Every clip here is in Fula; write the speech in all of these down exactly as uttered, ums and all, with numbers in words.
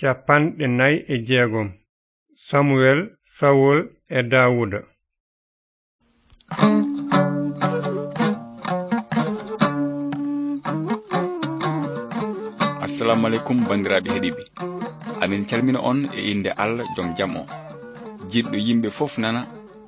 Capanɗe nayi e jeegom. Samuel, Sawol e Daawuda. Assalamu aleykum, banndiraaɓe heɗiiɓe. Amin calmina on e innde Allah, jom jam o. Jiɗɗo yimɓe fof nana,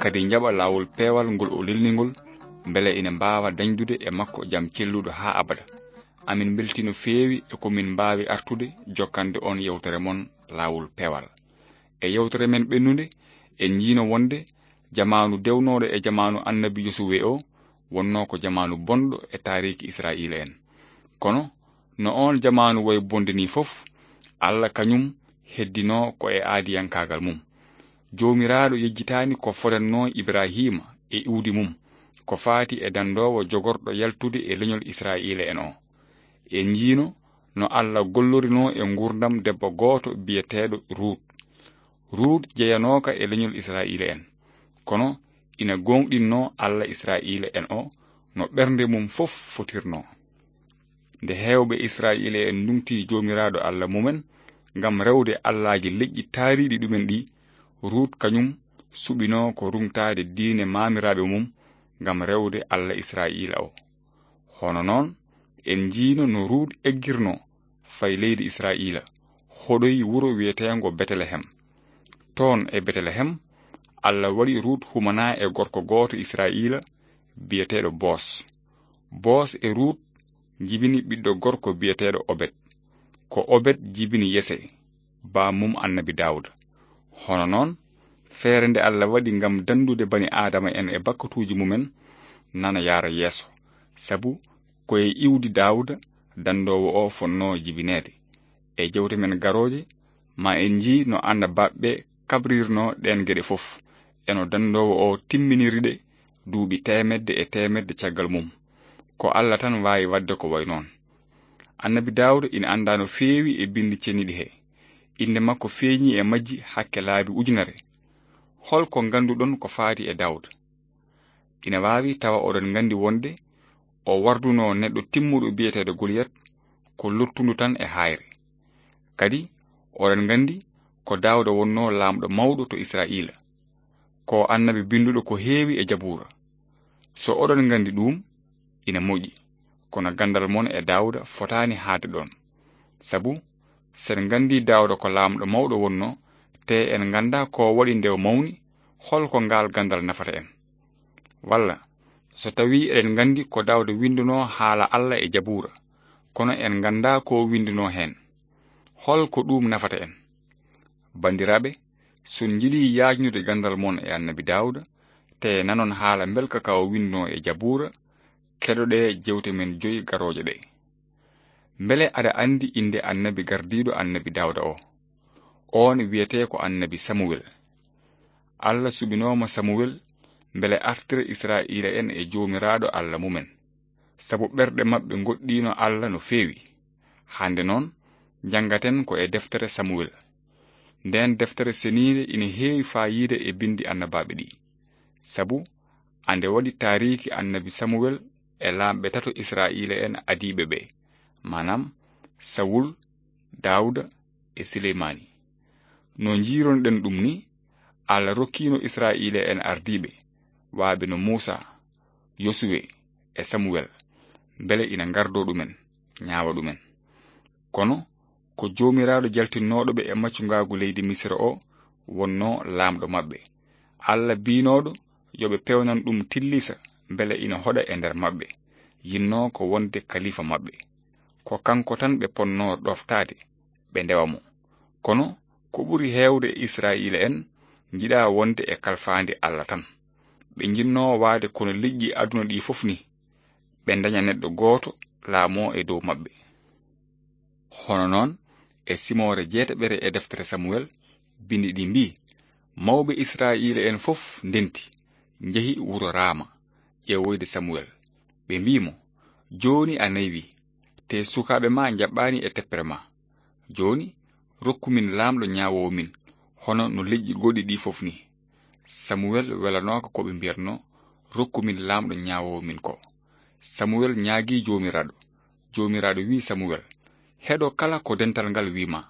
kadi njaɓa laawol peewal ngol o lelni ngol, mbele ina mbaawa dañdude e makko jam celluɗo haa abada. Amin mbeltii no feewi e ko min mbaawi artude jokkande on yewtere mon Laawol Peewal. E yewtere men ɓennunde, en njiino wonde jamaanu dewnooɗo e jamaanu annabi Yosuwe o wonnoo ko jamaanu bonɗo e taariiki Israa'iila en. Kono, no oon jamaanu wayi bonde nii fof, Allah kañum heddinoo ko e aadiyankaagal mum. Joomiraaɗo yejjitaani ko fodannoo Ibrahiima e iwdi mum, ko faati e danndoowo jogorɗo yaltude e leñol Israa'iila en o. En njiino no Allah gollorinoo e nguurndam debbo gooto biyeteeɗo Ruut. Ruut jeyanooka e leñol Israa'iila en, kono ina gooŋɗinnoo Allah Israa'iila en o no ɓernde mum fof fotirnoo. Nde heewɓe Israa'iila en nduŋtii Joomiraaɗo Allah mumen ngam rewde allaaji leƴƴi taariiɗi ɗumen ɗi, Ruut kañum suɓinoo ko ruŋtaade diine maamiraaɓe mum ngam rewde Allah Israa'iila o. Hono noon, en njiino no Ruut eggirnoo fayi leydi Israa'iila, hoɗoyi wuro wiyeteengo Betelehem. Toon e Betelehem, Allah waɗi Ruut humanaa e gorko gooto Israa'iila biyeteeɗo Boos. Boos e Ruut njibini ɓiɗɗo gorko biyeteeɗo Obed. Ko Obed jibini Yese, baam mum annabi Daawuda. Hono noon, feere nde Allah waɗi ngam danndude bani Aadama en e bakkatuuji mumen nana yahra yeeso, sabu ko e iwdi Daawuda danndoowo o fotnoo jibineede. E jewte men garooje, ma en njii no annabaaɓe ɓe kabrirnoo ɗeen geɗe fof, e no danndoowo o timminiri ɗe duuɓi teemedde e teemedde caggal mum. Ko Allah tan waawi waɗde ko wayi noon. Annabi Daawuda ina anndaa no feewi e binndi ceniiɗi he. Innde makko feeñii e majji hakke laabi ujunere. Hol ko ngannduɗon ko faati e Daawuda? Ina waawi tawa oɗon nganndi wonde o wardunoo neɗɗo timmuɗo biyeteeɗo Goliyat ko luttundu tan e haayre. Kadi, oɗon nganndi ko Daawuda wonnoo laamɗo mawɗo to Israa'iila. Ko annabi binnduɗo ko heewi e Jabuura. So oɗon nganndi ɗuum, ina moƴƴi, kono ganndal mon e Daawuda fotaani haaɗde ɗoon. Sabu, so en nganndii Daawuda ko laamɗo mawɗo wonnoo, tee en nganndaa ko waɗi nde o mawni, hol ko ngaal ganndal nafata en? Walla, so tawii eɗen nganndi ko Daawuda winndunoo haala Allah e Jabuura, kono en nganndaa ko o winndunoo heen, hol ko ɗuum nafata en? Banndiraaɓe, so on njiɗii yaajnude ganndal mon e annabi Daawuda, tee nanon haala mbelka ka o winndunoo e Jabuura, keɗoɗee jewte men joy garooje ɗe. Mbele aɗa anndi innde annabi gardiiɗo annabi Daawuda o? Oon wiyetee ko annabi Samuwel. Allah suɓinooma Samuwel mbele artira Israa'iila en e Joomiraaɗo Allah mumen, sabu ɓerɗe maɓɓe ngoɗɗiino Allah no feewi. Hannde noon, njanngaten ko e deftere Samuwel. Ndeen deftere seniinde ina heewi faayiida e binndi annabaaɓe ɗi, sabu ande waɗi taariiki annabi Samuwel e laamɓe tato Israa'iila en adiiɓe ɓe, maanaam Sawul, Daawuda e Sileymaani. No njiironɗen ɗum ni, Allah rokkiino Israa'iila en ardiiɓe, waaɓe no Muusa, Yosuwe e Samuwel, mbele ina ngardoo ɗumen, ñaawa ɗumen. Kono ko Joomiraaɗo jaltinnooɗo ɓe e maccungaagu leydi Misira o wonnoo laamɗo maɓɓe. Allah biynooɗo yo ɓe pewnan ɗum tillisa mbele ina hoɗa e nder maɓɓe, yinnoo ko wonde kalifa maɓɓe. Ko kanko tan ɓe ponnoo ɗoftaade, ɓe ndewa mo. Kono ko ɓuri heewde e Israa'iila en njiɗaa wonde e kalfaandi Allah tan. Ɓe njinnoo waade kono liƴƴi aduna ɗi fof ni, ɓe ndaña neɗɗo gooto laamoo e dow maɓɓe. Hono noon, e simoore jeetaɓere e deftere Samuwel, binndi ɗi mbii, mawɓe Israa'iila en fof ndenti, njehi wuro Raama, ƴeewoyde Samuwel. Ɓe mbii mo, jooni a naywi, te sukaaɓe ma njaɓɓaani e teppere ma. Jooni, rokku min laamɗo ñaawoowo min, hono no leƴƴi goɗɗi ɗi fof ni. Samuwel welanooka ko ɓe mbiyatnoo, rokku min laamɗo ñaawoowo min ko. Samuwel ñaagii Joomiraaɗo. Joomiraaɗo wii Samuwel, heɗo kala ko dental ngal wii ma.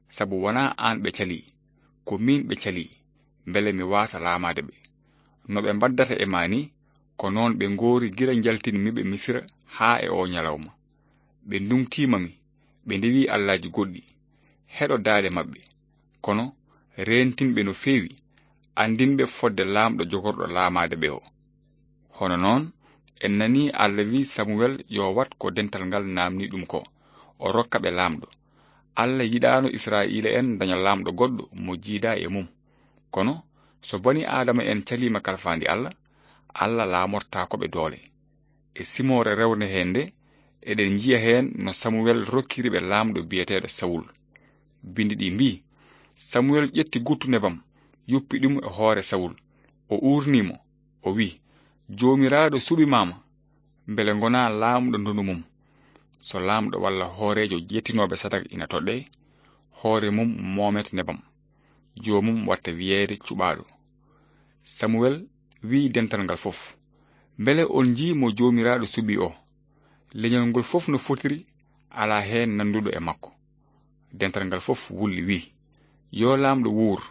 Sabu wanaa aan ɓe calii, ko miin ɓe calii, mbele mi waasa laamaade ɓe. No ɓe mbaddata e maa nii, ko noon ɓe ngoori gila njaltinmi ɓe Misira haa e oo ñalawma. Ɓe nduŋtiima mi, ɓe ndewi allaaji goɗɗi. Heɗo daaɗe maɓɓe. Kono reentinɓe no feewi, anndinɓe fodde Laamɗo jogorɗo laamaade ɓe o. Hono noon, en nanii Alla wi'i Samuwel yo wat ko dental ngal naamnii ɗum ko, o rokka ɓe Laamɗo. Alla yiɗaano Israa'iila'en ndaña laamɗo goɗɗo mo jiidaa e mum. Kono so bani Aadama en caliima kalfaandi Alla, Alla laamortaako ɓe doole. E simoore rewnde heen nde, eɗen njiya heen no Samuwel rokkiri ɓe laamɗo biyeteeɗo Sawul. Binndi ɗi mbii, Samuwel ƴetti guttu nebam, yuppi ɗum e hoore Sawul. O uurnii mo, o wi'i, Joomiraaɗo suɓimaama, mbele ngonaa laamɗo ndonu mum. So laamɗo walla hooreejo ƴettinooɓe sadak ina toɗɗee, hoore mum moomet nebam, joomum watta wiyeede cuɓaaɗo. Samuwel wi'i dental ngal fof, Mbele on njii mo Joomiraaɗo suɓii o? Leñol ngol fof no fotiri, alaa heen nannduɗo e makko. Dental ngal fof wulli, wi'i, Yo laamɗo wuur!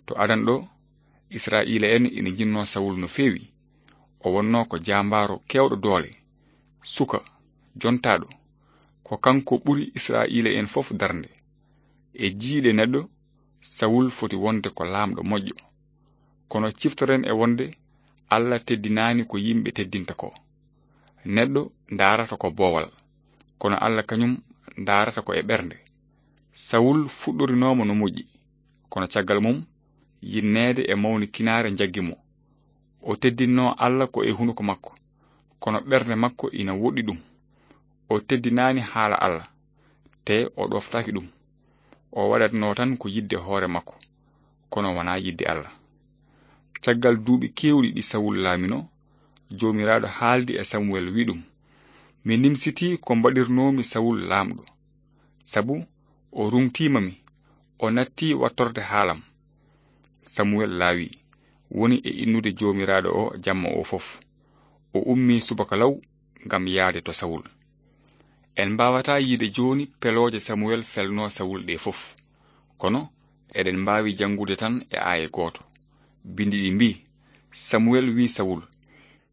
To adan ɗo, Israa'iila'en ina njinnoo Sawul no feewi. O wonnoo ko jaambaaro keewɗo doole, suka, jontaaɗo. Ko kanko ɓuri Israa'iila'en fof darnde. E jiyɗe neɗɗo, Sawul foti wonde ko laamɗo moƴƴo. Kono ciftoren e wonde Alla teddinaani ko yimɓe teddinta ko. Neɗɗo ndaarata ko boowal, kono Alla kañum ndaarata ko e ɓernde. Sawul fuɗɗorinooma no moƴƴi, kono caggal mum, yinneede e mawnikinaare njaggi mo. O teddinnoo Alla ko e hunuko makko, kono ɓernde makko ina woɗɗi ɗum. O teddinaani haala Alla, tee o ɗooftaaki ɗum. O waɗatnoo tan ko yiɗde hoore makko, kono wanaa yiɗde Alla. Caggal duuɓi keewɗi ɗi Sawul laaminoo, Joomiraaɗo haaldi e Samuwel, wi'i ɗum, Mi nimsitii ko mbaɗirnoomi Sawul laamɗo, sabu o ruŋtiima mi, o nattii wattorde haalam. Samuwel laawi, woni e innude Joomiraaɗo o jamma o fof. O ummii subaka law ngam yahde to Sawul. En mbaawataa yi'de jooni pelooje Samuwel felnoo Sawul ɗee fof, kono eɗen mbaawi janngude tan e aaye gooto. Binndi ɗi mbii, Samuwel wi'i Sawul,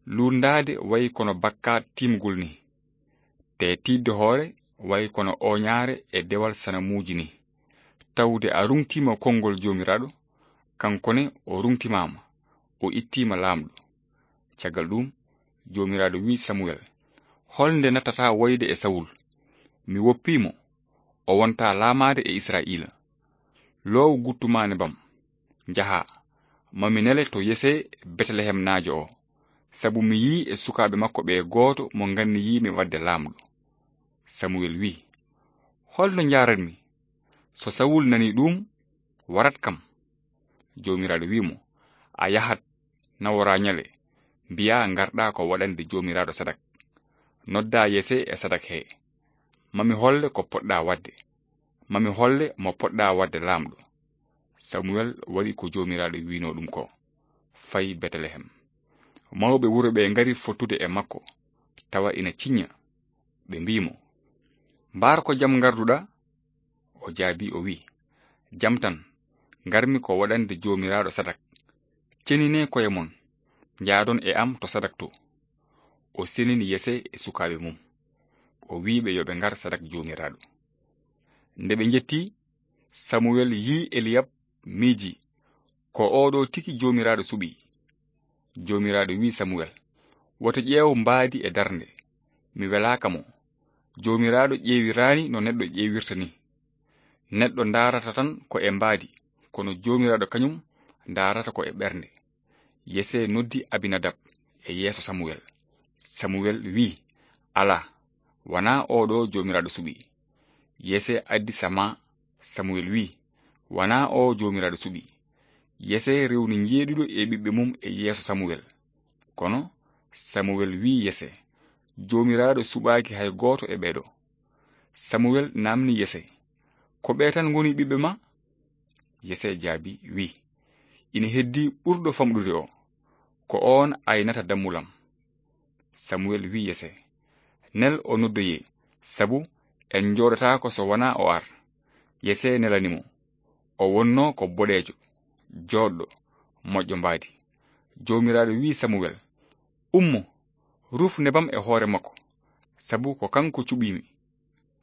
Luurndaade wayi kono bakkaat tiimgol ni, te tiiɗde hoore wayi kono ooñaare e dewal sanamuuji ni. Tawde a ruŋtiima konngol Joomiraaɗo, kanko ne o ruŋtimaama, o ittiima laamɗo. Caggal ɗuum, Joomiraaɗo wi'i Samuwel, Hol nde nattataa woyde e Sawul? Mi woppii mo, o wontaa laamaade e Israa'iila. Loow guttu maa nebam, njahaa, ma mi nele to Yese Betelehemnaajo o, sabu mi yi'i e sukaaɓe makko ɓee gooto mo nganniyii-mi waɗde laamɗo. Samuwel wi'i, Hol no njaarat-mi? So Sawul nanii ɗuum, warat kam. Joomiraaɗo wi'i mo, A yahat, naworaa ñale, mbiyaa ngarɗaa ko waɗande Joomiraaɗo sadak. Noddaa Yese e sadak hee. Ma mi holle ko poɗɗaa waɗde. Ma mi holle mo poɗɗaa waɗde laamɗo. Samuwel waɗi ko Joomiraaɗo wi'noo ɗum ko, fayi Betelehem. Mawɓe wuro ɓee ngari fottude e makko, tawa ina ciñña. Ɓe mbii mo, Mbaar ko jam ngarduɗaa? O jaabii, o wi'i, Jam tan, ngarmi ko waɗande Joomiraaɗo sadak. Ceninee ko'e mon, njaadon e am to sadak to. O senini Yese e sukaaɓe mum. O wi'i ɓe yo ɓe ngar sadak Joomiraaɗo. Nde ɓe njettii, Samuwel yi'i Eliyab, miijii, Ko oo ɗoo tigi Joomiraaɗo suɓii. Joomiraaɗo wi'i Samuwel, Wota ƴeew mbaadi e darnde, mi welaaka mo. Joomiraaɗo ƴeewiraani no neɗɗo ƴeewirta ni. Neɗɗo ndaarata tan ko e mbaadi, kono Joomiraaɗo kañum ndaarata ko e ɓernde. Yese noddi Abinadab e yeeso Samuwel. Samuwel wi'i, Alaa, wanaa oo ɗoo Joomiraaɗo suɓii. Yese addi Sama. Samuwel wi'i, Wanaa oo Joomiraaɗo suɓii. Yese rewni njeeɗiɗo e ɓiɓɓe mum e yeeso Samuwel. Kono Samuwel wi'i Yese, Joomiraaɗo suɓaaki hay gooto e ɓee ɗoo. Samuwel naamni Yese, Ko ɓee tan ngoni ɓiɓɓe maa? Yese jaabii, wi'i, Ina heddii ɓurɗo famɗude o. Ko oon aynata dammulam. Samuwel wi'i Yese, Nel o noddoyee, sabu en njooɗotaako so wanaa o ar. Yese nelani mo. O wonno ko boɗeejo, jooɗɗo, moƴƴo mbaadi. Joomiraaɗo wi'i Samuwel, "Ummo, ruf nebam e hoore makko, sabu ko kanko cuɓiimi."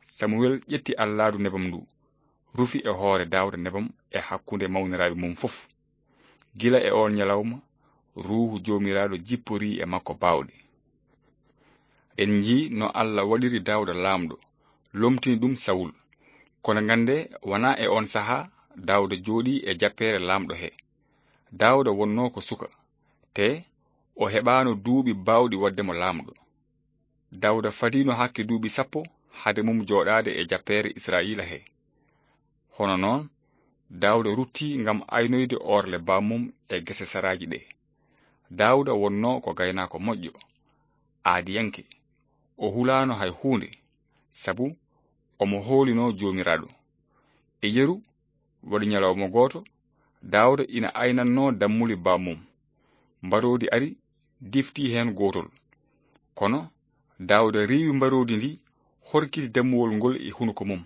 Samuwel ƴetti allaadu nebam ndu, rufi e hoore Daawda nebam e hakkunde mawniraaɓe mum fof. Gila e oon ñalawma, Ruuhu Joomiraaɗo jipporii e makko baawɗe. En njii no Allah waɗiri Daawda laamɗo, lomtini ɗum Sawul. Kono ngannde, wonaa e oon sahaa Daawda jooɗii e jappeere laamɗo he. Daawda wonnoo ko suka, te o heɓaano duuɓi baawɗi waɗde mo laamɗo. Daawda fadiino hakke duuɓi sappo hade mum jooɗaade e jappeere Israa'iila he. Hono noon, Daawda rutti ngam aynoyde orle bammum e gese saraaji ɗe. Daawda wonnoo ko gaynaako moƴƴo, aadiyanke. O hulaano hay huunde, sabu omo hoolinoo Joomiraaɗo. E yeru, waɗi ñalawma gooto, Daawda ina aynannoo dammuli bammum. Mbaroodi ari, difti heen gootol. Kono Daawda riiwi mbaroodi ndi, horkiti dammuwol ngol e hunuko mum.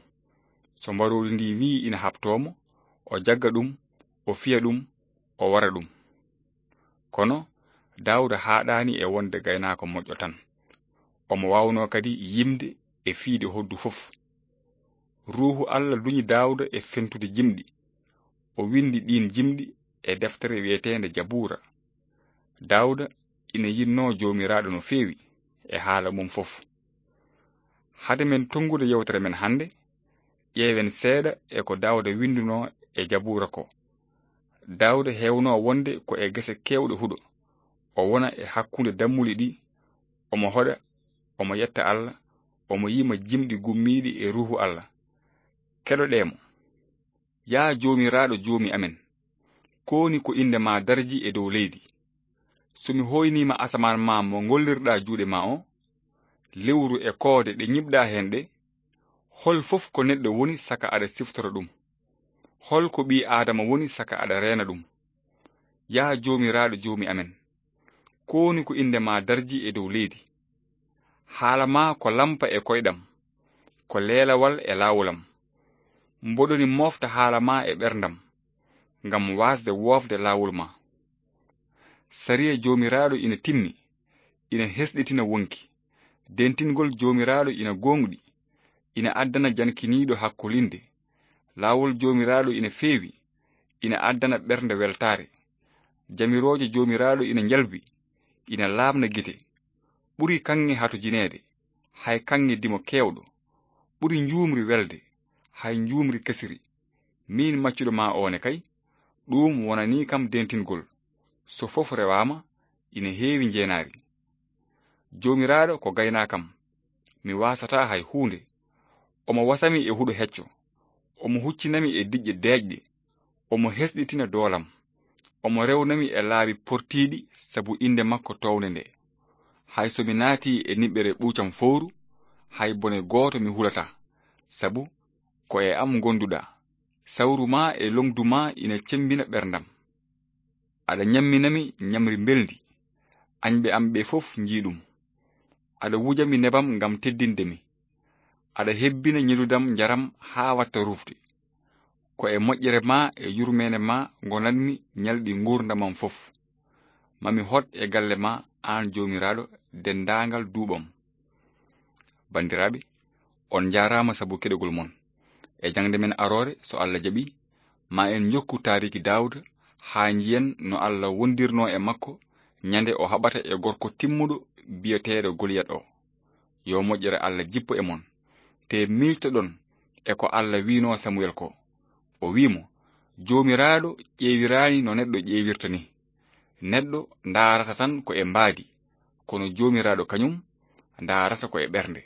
So mbaroodi ndi wi'i ina haɓtoo mo, o jagga ɗum, o fiya ɗum, o wara ɗum. Kono Daawda haaɗaani e wonde gaynaako moƴƴo tan. Omo waawnoo kadi yimde e fiyde hoddu fof. Ruuhu Allah duñi Daawda e fentude jimɗi. O winndi ɗiin jimɗi e deftere wiyeteende Jabuura. Daawda ina yinnoo Joomiraaɗo no feewi e haala mum fof. Hade men tonngude yewtere men hannde, ƴeewen seeɗa e ko Daawda winndunoo e Jabuura ko. Daawda heewnoo wonde ko e gese keewɗe huɗo. O wona e hakkunde dammuli ɗi, omo hoɗa, omo yetta Allah, omo yima jimɗi gummiiɗi e Ruuhu Allah. Keɗoɗee mo. Yaa Joomiraaɗo, Joomi amen, kowoni ko innde ma darji e dow leydi? So mi hoyniima asamaan ma mo ngollirɗa juuɗe ma o, lewru e koode ɗe ñiɓɗa heen ɗe, hol fof ko neɗɗo woni saka aɗa siftora ɗum? Hol ko ɓii Aadama woni saka aɗa reena ɗum? Yaa Joomiraaɗo, Joomi amen, kowoni ko innde ma darji e dow leydi? Haala ma ko lampa e koyɗam, ko leelawal e laawol am. Mboɗo ni mofta haala ma e ɓerndam, ngam waasde woofde laawol ma. Sariya Joomiraaɗo ina timmi, ina hesɗitina wonki. Dentingol Joomiraaɗo ina gooŋɗi, ina addana jankiniiɗo hakkolinde. Laawol Joomiraaɗo ina feewi, ina addana ɓernde weltaare. Jamirooje Joomiraaɗo ina njalbi, ina laaɓna gite. Ɓuri kaŋŋe hatojineede, hay kaŋŋe dimo keewɗo. Ɓuri njuumri welde, hay njuumri kesiri. Miin maccuɗo ma o ne kay, ɗum wonanii kam dentingol. So fof rewaama, ina heewi njeenaari. Joomiraaɗo ko gaynaakam, mi waasataa hay huunde. Omo wasami e huɗo hecco, omo huccinami e diƴƴe deeƴɗe, omo hesɗitina doolam. Omo rewnami e laabi portiiɗi sabu innde makko toownde nde. Hay so mi naatii e niɓɓere ɓuucam fowru, hay bone gooto mi hulataa, sabu ko e am ngonduɗaa. Sawru ma e longdu ma ina cemmbina ɓerndam. Aɗa ñamminami ñamri mbelndi, añɓe am ɓe fof njii ɗum. Aɗa wujami nebam ngam teddinde mi. Aɗa hebbina ñidudam njaram haa watta rufde. Ko e moƴƴere ma e yurmeende ma ngonanmi ñalɗi nguurndam am fof. Ma mi hot e galle ma, aan Joomiraaɗo, denndaangal duuɓam. Banndiraaɓe, on njaaraama sabu keɗogol mon. E jaŋde men aroore, so Allah jaɓi, ma en njokku taariki Daawuda haa njiyen no Allah wondirnoo e makko ñande o haɓata e gorko timmuɗo biyeteeɗo Goliyat o. Yo moƴƴere Allah jippo e mon. Te miijtoɗon e ko Allah wi'noo Samuel ko. O wi'i mo, "Joomiraaɗo ƴeewiraani no neɗɗo ƴeewirta ni. Neɗɗo ndaarata tan ko e mbaadi, kono Joomiraaɗo kañum ndaarata ko e ɓernde."